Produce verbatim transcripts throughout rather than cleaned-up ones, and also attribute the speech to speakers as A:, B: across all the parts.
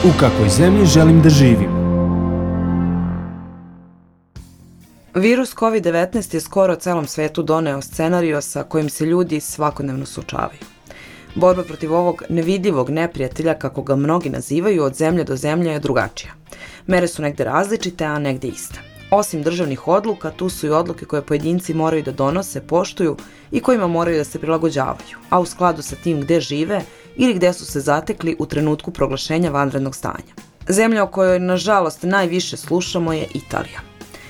A: U kakvoj zemlji želim da živim?
B: Virus kovid devetnaest je skoro celom svetu doneo scenario sa kojim se ljudi svakodnevno suočavaju. Borba protiv ovog nevidljivog neprijatelja, kako ga mnogi nazivaju, od zemlje do zemlje je drugačija. Mere su negde različite, a negde iste. Osim državnih odluka, tu su i odluke koje pojedinci moraju da donose, poštuju i kojima moraju da se prilagođavaju, a u skladu sa tim gde žive ili gde su se zatekli u trenutku proglašenja vanrednog stanja. Zemlja o kojoj, nažalost, najviše slušamo je Italija.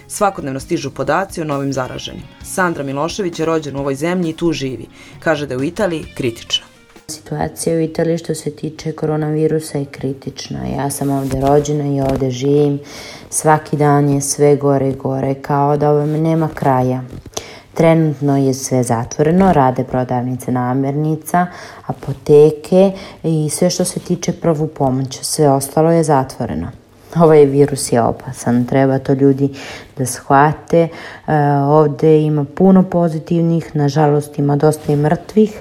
B: Svakodnevno stižu podaci o novim zaraženim. Sandra Milošević je rođena u ovoj zemlji i tu živi. Kaže da je u Italiji kritična.
C: Situacija u Italiji što se tiče koronavirusa je kritična. Ja sam ovdje rođena i ovdje živim. Svaki dan je sve gore i gore, kao da ovome nema kraja. Trenutno je sve zatvoreno, rade prodavnice namirnica, apoteke i sve što se tiče prvu pomoć. Sve ostalo je zatvoreno. Ovaj virus je opasan, treba to ljudi da shvate. E, ovdje ima puno pozitivnih, nažalost ima dosta i mrtvih.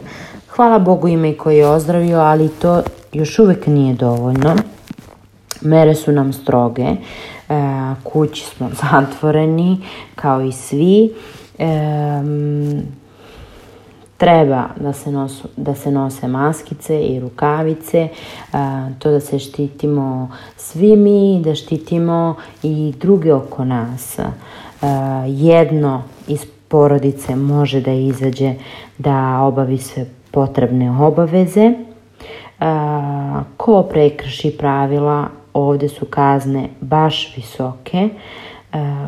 C: Hvala Bogu ima i koji je ozdravio, ali to još uvijek nije dovoljno. Mere su nam stroge, e, kući smo zatvoreni kao i svi. E, treba da se, nosu, da se nose maskice i rukavice, a, to da se štitimo svi mi, da štitimo i druge oko nas. A, jedno iz porodice može da izađe da obavi sve potrebne obaveze. A, ko prekrši pravila, ovdje su kazne baš visoke. A,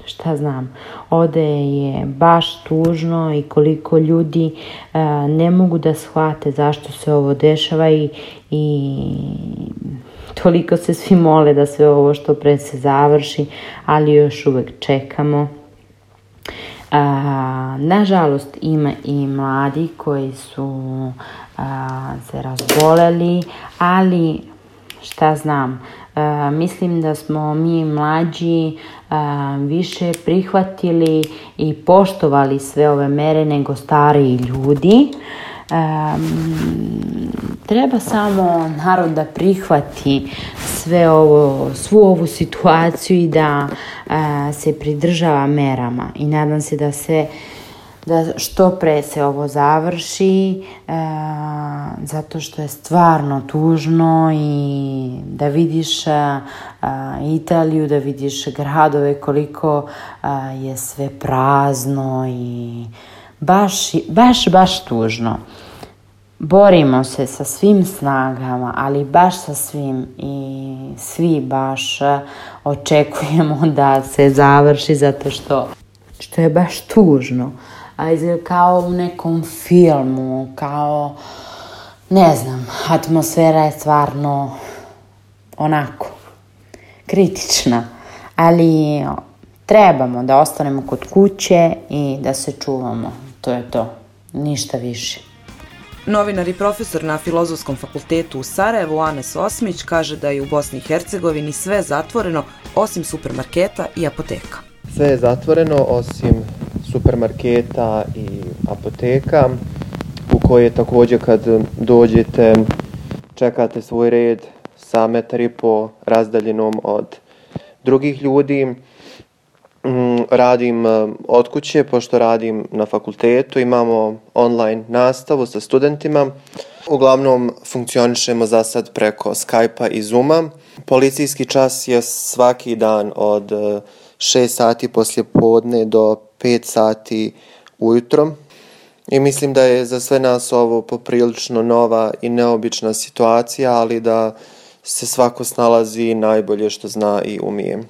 C: Šta znam, ovdje je baš tužno i koliko ljudi uh, ne mogu da shvate zašto se ovo dešava i, i toliko se svi mole da sve ovo što pre se završi, ali još uvijek čekamo. Uh, nažalost ima i mladi koji su uh, se razboleli, ali šta znam, Uh, mislim da smo mi mlađi uh, više prihvatili i poštovali sve ove mere nego stariji ljudi. Um, treba samo narod da prihvati sve ovo, svu ovu situaciju i da uh, se pridržava merama i nadam se da se da što pre se ovo završi, e, zato što je stvarno tužno i da vidiš a, a, Italiju, da vidiš gradove koliko a, je sve prazno i baš, baš, baš tužno. Borimo se sa svim snagama, ali baš sa svim i svi baš očekujemo da se završi zato što, što je baš tužno. A izgleda kao u nekom filmu, kao, ne znam, atmosfera je stvarno onako, kritična, ali trebamo da ostanemo kod kuće i da se čuvamo, to je to, ništa više.
B: Novinar i profesor na Filozofskom fakultetu u Sarajevu, Anes Osmić, kaže da je u Bosni i Hercegovini sve zatvoreno osim supermarketa i apoteka.
D: Sve je zatvoreno osim supermarketa i apoteka u koje također kad dođete čekate svoj red sa metar i po razdaljenom od drugih ljudi. Radim od kuće, pošto radim na fakultetu, imamo online nastavu sa studentima. Uglavnom funkcionišemo za sad preko Skype-a i Zooma. Policijski čas je svaki dan od šest sati poslije podne do pet sati ujutro. I mislim da je za sve nas ovo poprilično nova i neobična situacija, ali da se svako snalazi najbolje što zna i umije.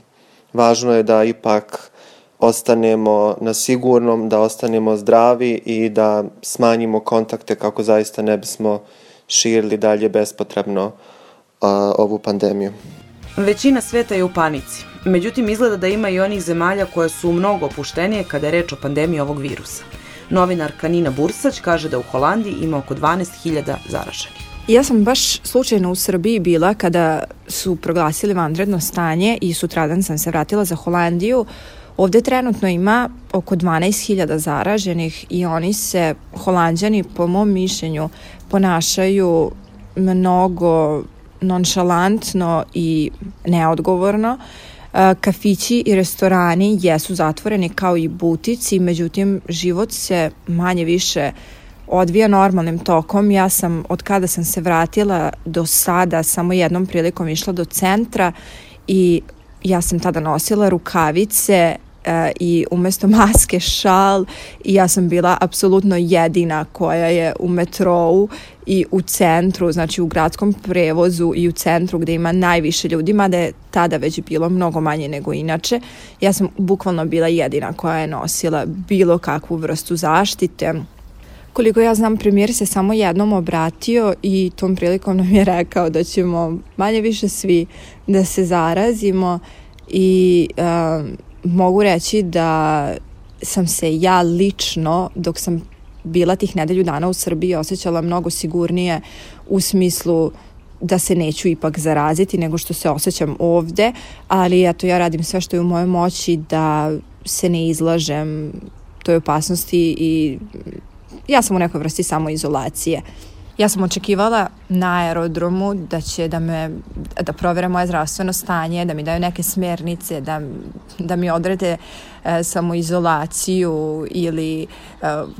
D: Važno je da ipak ostanemo na sigurnom, da ostanemo zdravi i da smanjimo kontakte kako zaista ne bismo širili dalje bespotrebno uh, ovu pandemiju.
B: Većina sveta je u panici. Međutim, izgleda da ima i onih zemalja koje su mnogo opuštenije kada je reč o pandemiji ovog virusa. Novinarka Nina Bursać kaže da u Holandiji ima oko dvanaest hiljada zaraženih.
E: Ja sam baš slučajno u Srbiji bila kada su proglasili vanredno stanje i sutradan sam se vratila za Holandiju. Ovdje trenutno ima oko dvanaest hiljada zaraženih i oni se, Holanđani, po mom mišljenju, ponašaju mnogo nonšalantno i neodgovorno. Kafići i restorani jesu zatvoreni kao i butici, međutim život se manje više odvija normalnim tokom. Ja sam, od kada sam se vratila do sada, samo jednom prilikom išla do centra i ja sam tada nosila rukavice e, i umesto maske šal i ja sam bila apsolutno jedina koja je u metrou i u centru, znači u gradskom prevozu i u centru gde ima najviše ljudi, mada je tada već bilo mnogo manje nego inače. Ja sam bukvalno bila jedina koja je nosila bilo kakvu vrstu zaštite. Koliko ja znam, premijer se samo jednom obratio i tom prilikom nam je rekao da ćemo manje više svi da se zarazimo i um, mogu reći da sam se ja lično, dok sam bila tih nedelju dana u Srbiji, osjećala mnogo sigurnije u smislu da se neću ipak zaraziti nego što se osjećam ovde, ali eto, ja radim sve što je u mojoj moći da se ne izlažem toj opasnosti i ja sam u nekoj vrsti samoizolacije. Ja sam očekivala na aerodromu da će da me da provere moje zdravstveno stanje, da mi daju neke smjernice, da, da mi odrede e, samoizolaciju ili e,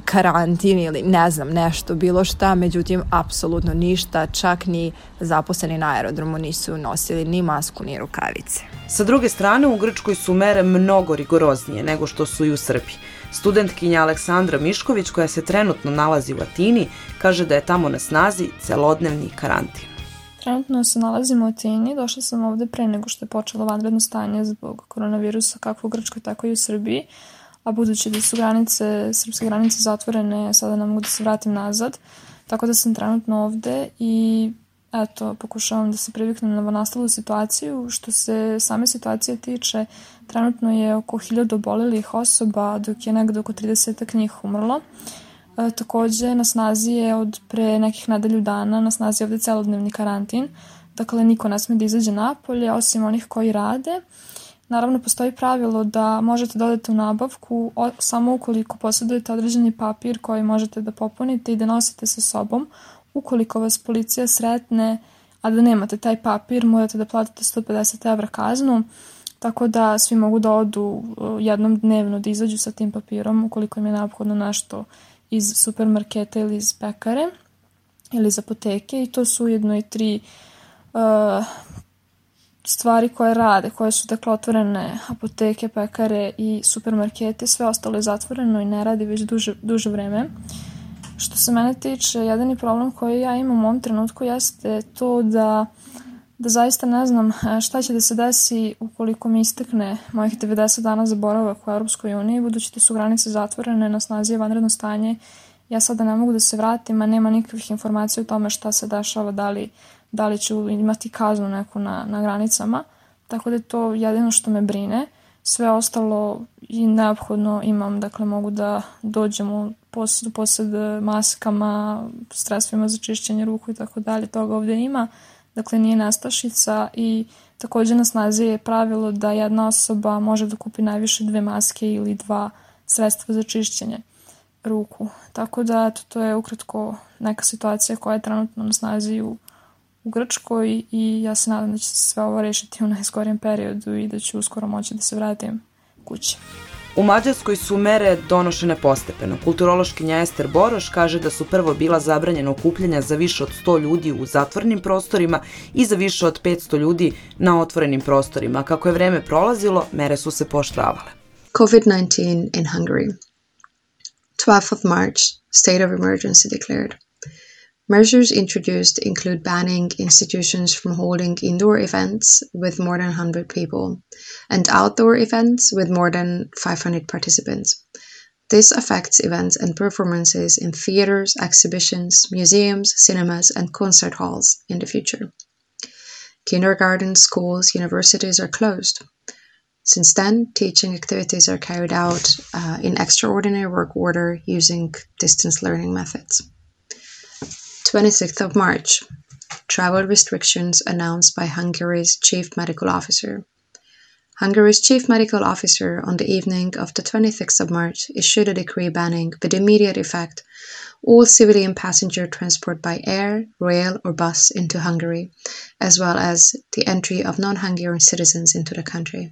E: karantin ili ne znam nešto, bilo šta, međutim apsolutno ništa, čak ni zaposleni na aerodromu nisu nosili ni masku ni rukavice.
B: Sa druge strane, u Grčkoj su mere mnogo rigoroznije nego što su i u Srbiji. Studentkinja Aleksandra Mišković, koja se trenutno nalazi u Atini, kaže da je tamo na snazi celodnevni karantin.
F: Trenutno se nalazimo u Atini, došla sam ovde pre nego što je počelo vanredno stanje zbog koronavirusa kako u Grčkoj, tako i u Srbiji, a budući da su granice, srpske granice zatvorene, sada ne mogu da se vratim nazad, tako da sam trenutno ovde i eto, pokušavam da se priviknem na nastalu situaciju. Što se same situacije tiče, trenutno je oko hiljadu obolelih osoba, dok je negde oko trideset njih umrlo. E, takođe, na snazi je od pre nekih nedelju dana, na snazi je ovde celodnevni karantin, dakle niko ne sme da izađe napolje, osim onih koji rade. Naravno, postoji pravilo da možete da odete u nabavku o, samo ukoliko posjedujete određeni papir koji možete da popunite i da nosite sa sobom. Ukoliko vas policija sretne, a da nemate taj papir, morate da platite sto pedeset evra kaznu, tako da svi mogu da odu jednom dnevno da izađu sa tim papirom ukoliko im je neophodno nešto iz supermarketa ili iz pekare ili iz apoteke, i to su ujedno i tri uh, stvari koje rade, koje su dakle otvorene: apoteke, pekare i supermarkete. Sve ostalo je zatvoreno i ne radi već duže, duže vreme. Što se mene tiče, jedini problem koji ja imam u ovom trenutku jeste to da, da zaista ne znam šta će da se desi ukoliko mi istekne mojih devedeset dana za boravak u Europskoj uniji, budući da su granice zatvorene, na snazi je vanredno stanje. Ja sada ne mogu da se vratim, a nema nikakvih informacija o tome šta se dešava, da li, da li ću imati kaznu neku na, na granicama, tako da je to jedino što me brine. Sve ostalo i neophodno imam, dakle mogu da dođem u posed, posed maskama, sredstvima za čišćenje ruku i tako dalje, toga ovdje ima, dakle nije nestašica. I također na snazi je pravilo da jedna osoba može da kupi najviše dve maske ili dva sredstva za čišćenje ruku, tako da eto, to je ukratko neka situacija koja je trenutno na snazi u u Grčkoj i ja se nadam da će se sve ovo rešiti u najskorijem periodu i da ću uskoro moći da se vratim kući.
B: U Mađarskoj su mere donošene postepeno. Kulturološkinja Ester Boroš kaže da su prvo bila zabranjena okupljanja za više od sto ljudi u zatvorenim prostorima i za više od petsto ljudi na otvorenim prostorima. Kako je vreme prolazilo, mere su se pooštravale.
G: COVID nineteen in Hungary. twelfth of March, state of emergency declared. Measures introduced include banning institutions from holding indoor events with more than one hundred people and outdoor events with more than five hundred participants. This affects events and performances in theaters, exhibitions, museums, cinemas, and concert halls in the future. Kindergartens, schools, universities are closed. Since then, teaching activities are carried out uh, in extraordinary work order using distance learning methods. twenty-sixth of March, travel restrictions announced by Hungary's chief medical officer. Hungary's chief medical officer on the evening of the twenty-sixth of March issued a decree banning, with immediate effect, all civilian passenger transport by air, rail or bus into Hungary, as well as the entry of non-Hungarian citizens into the country.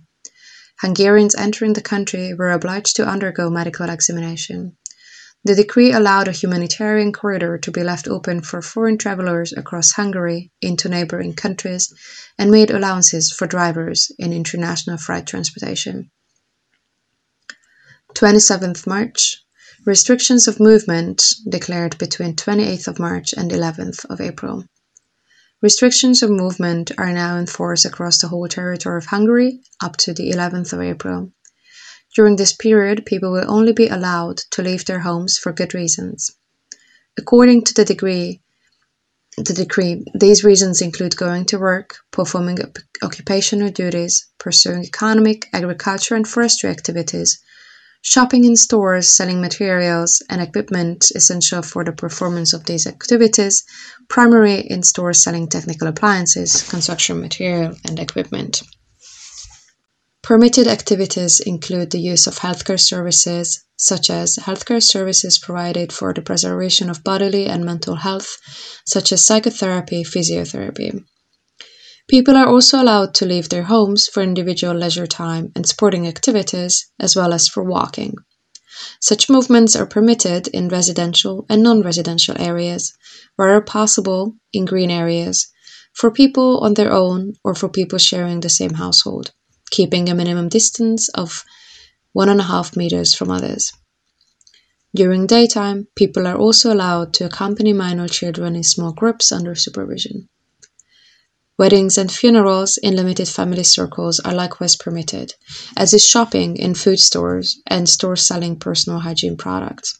G: Hungarians entering the country were obliged to undergo medical examination. The decree allowed a humanitarian corridor to be left open for foreign travelers across Hungary into neighboring countries and made allowances for drivers in international freight transportation. twenty-seventh of March. Restrictions of movement declared between twenty-eighth of March and eleventh of April. Restrictions of movement are now in force across the whole territory of Hungary up to the eleventh of April. During this period, people will only be allowed to leave their homes for good reasons. According to the decree, the decree, these reasons include going to work, performing occupational duties, pursuing economic, agriculture and forestry activities, shopping in stores selling materials and equipment essential for the performance of these activities, primarily in stores selling technical appliances, construction material and equipment. Permitted activities include the use of healthcare services, such as healthcare services provided for the preservation of bodily and mental health, such as psychotherapy, physiotherapy. People are also allowed to leave their homes for individual leisure time and sporting activities, as well as for walking. Such movements are permitted in residential and non-residential areas, where possible in green areas, for people on their own or for people sharing the same household, keeping a minimum distance of one and a half meters from others. During daytime, people are also allowed to accompany minor children in small groups under supervision. Weddings and funerals in limited family circles are likewise permitted, as is shopping in food stores and stores selling personal hygiene products.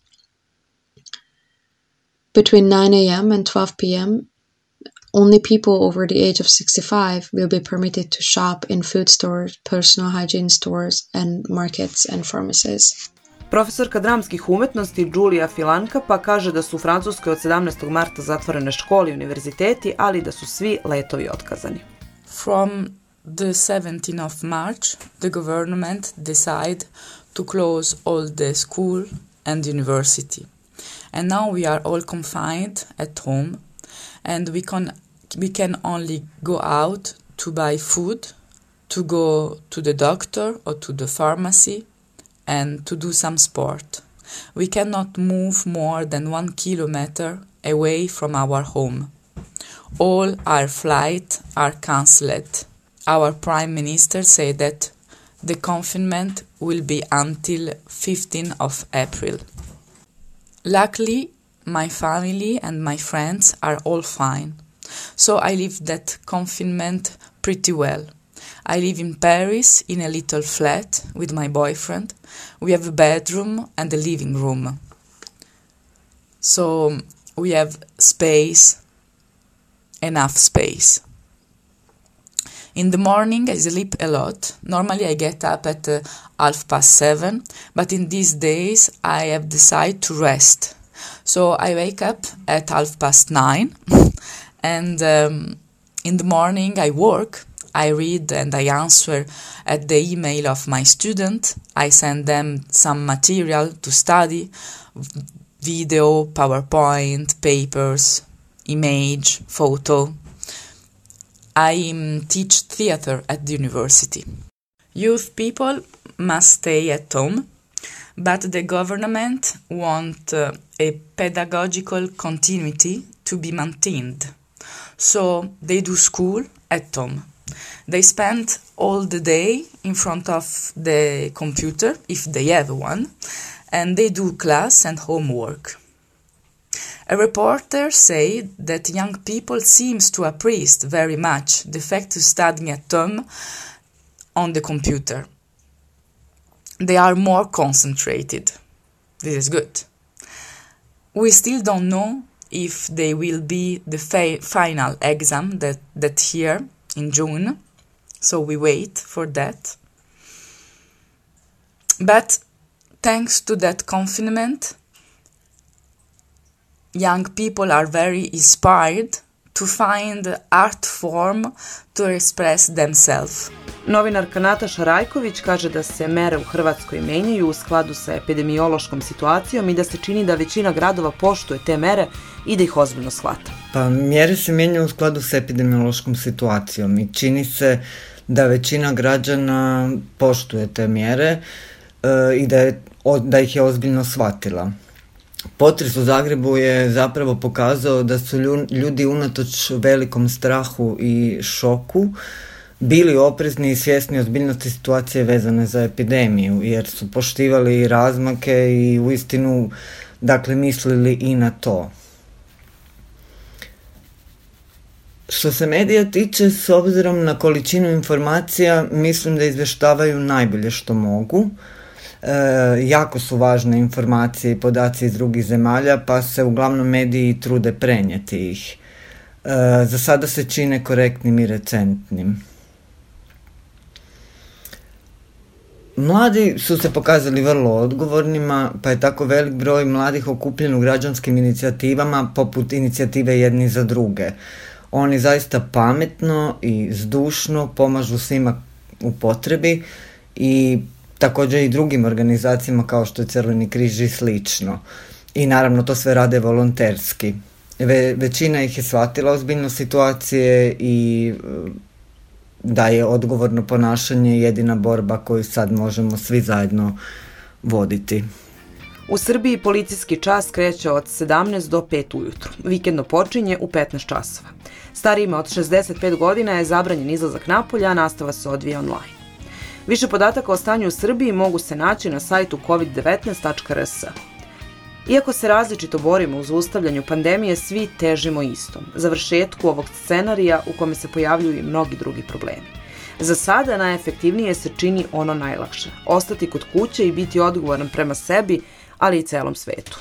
G: Between nine a.m. and twelve p.m., only people over the age of sixty-five will be permitted to shop in food stores, personal hygiene stores, and markets and pharmacies.
B: Profesorka dramskih umetnosti Julia Filanka pa kaže da su u Francuskoj od sedamnaestog marta zatvorene škole i univerziteti, ali da su svi letovi otkazani.
H: From the seventeenth of March, the government decided to close all the school and university. And now we are all confined at home, and we can we can only go out to buy food, to go to the doctor or to the pharmacy, and to do some sport. We cannot move more than one kilometer away from our home. All our flights are cancelled. Our Prime Minister said that the confinement will be until fifteenth of April. Luckily, my family and my friends are all fine, so I live that confinement pretty well. I live in Paris in a little flat with my boyfriend. We have a bedroom and a living room. So we have space, enough space. In the morning I sleep a lot. Normally I get up at uh, half past seven, but in these days I have decided to rest. So I wake up at half past nine and um, in the morning I work. I read and I answer at the email of my student. I send them some material to study, video, PowerPoint, papers, image, photo. I um, teach theater at the university. Youth people must stay at home, but the government wants uh, a pedagogical continuity to be maintained. So they do school at home. They spend all the day in front of the computer, if they have one, and they do class and homework. A reporter said that young people seems to appreciate very much the fact of studying at home on the computer. They are more concentrated. This is good. We still don't know if they will be the fa- final exam that, that year, in June, so we wait for that. But thanks to that confinement, young people are very inspired to find art form to express themselves.
B: Novinarka Nataša Rajković kaže da se mere u Hrvatskoj menjaju u skladu sa epidemiološkom situacijom i da se čini da većina gradova poštuje te mere i da ih ozbiljno shvata.
I: Pa mjere se mijenjaju u skladu sa epidemiološkom situacijom i čini se da većina građana poštuje te mjere e, i da, je, o, da ih je ozbiljno shvatila. Potres u Zagrebu je zapravo pokazao da su ljudi unatoč velikom strahu i šoku bili oprezni i svjesni ozbiljnosti situacije vezane za epidemiju, jer su poštivali razmake i uistinu, dakle, mislili i na to. Što se medija tiče, s obzirom na količinu informacija, mislim da izvještavaju najbolje što mogu. E, jako su važne informacije i podaci iz drugih zemalja, pa se uglavnom mediji trude prenijeti ih. E, za sada se čine korektnim i recentnim. Mladi su se pokazali vrlo odgovornima, pa je tako velik broj mladih okupljen u građanskim inicijativama poput inicijative Jedni za druge. Oni zaista pametno i zdušno pomažu svima u potrebi i također i drugim organizacijama kao što je Crveni križ i slično. I naravno to sve rade volonterski. Ve, većina ih je shvatila ozbiljno situacije i da je odgovorno ponašanje jedina borba koju sad možemo svi zajedno voditi.
B: U Srbiji policijski čas kreće od sedamnaest do pet ujutru. Vikendno počinje u petnaest časova. Starijima od šezdeset pet godina je zabranjen izlazak napolje, a nastava se odvija online. Više podataka o stanju u Srbiji mogu se naći na sajtu covid devetnaest tačka r s. Iako se različito borimo u zaustavljanju pandemije, svi težimo istom, završetku ovog scenarija u kome se pojavljuju i mnogi drugi problemi. Za sada najefektivnije se čini ono najlakše, ostati kod kuće i biti odgovoran prema sebi, ali i celom svetu.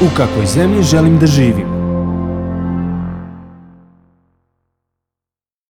A: U kakvoj zemlji želim da živim?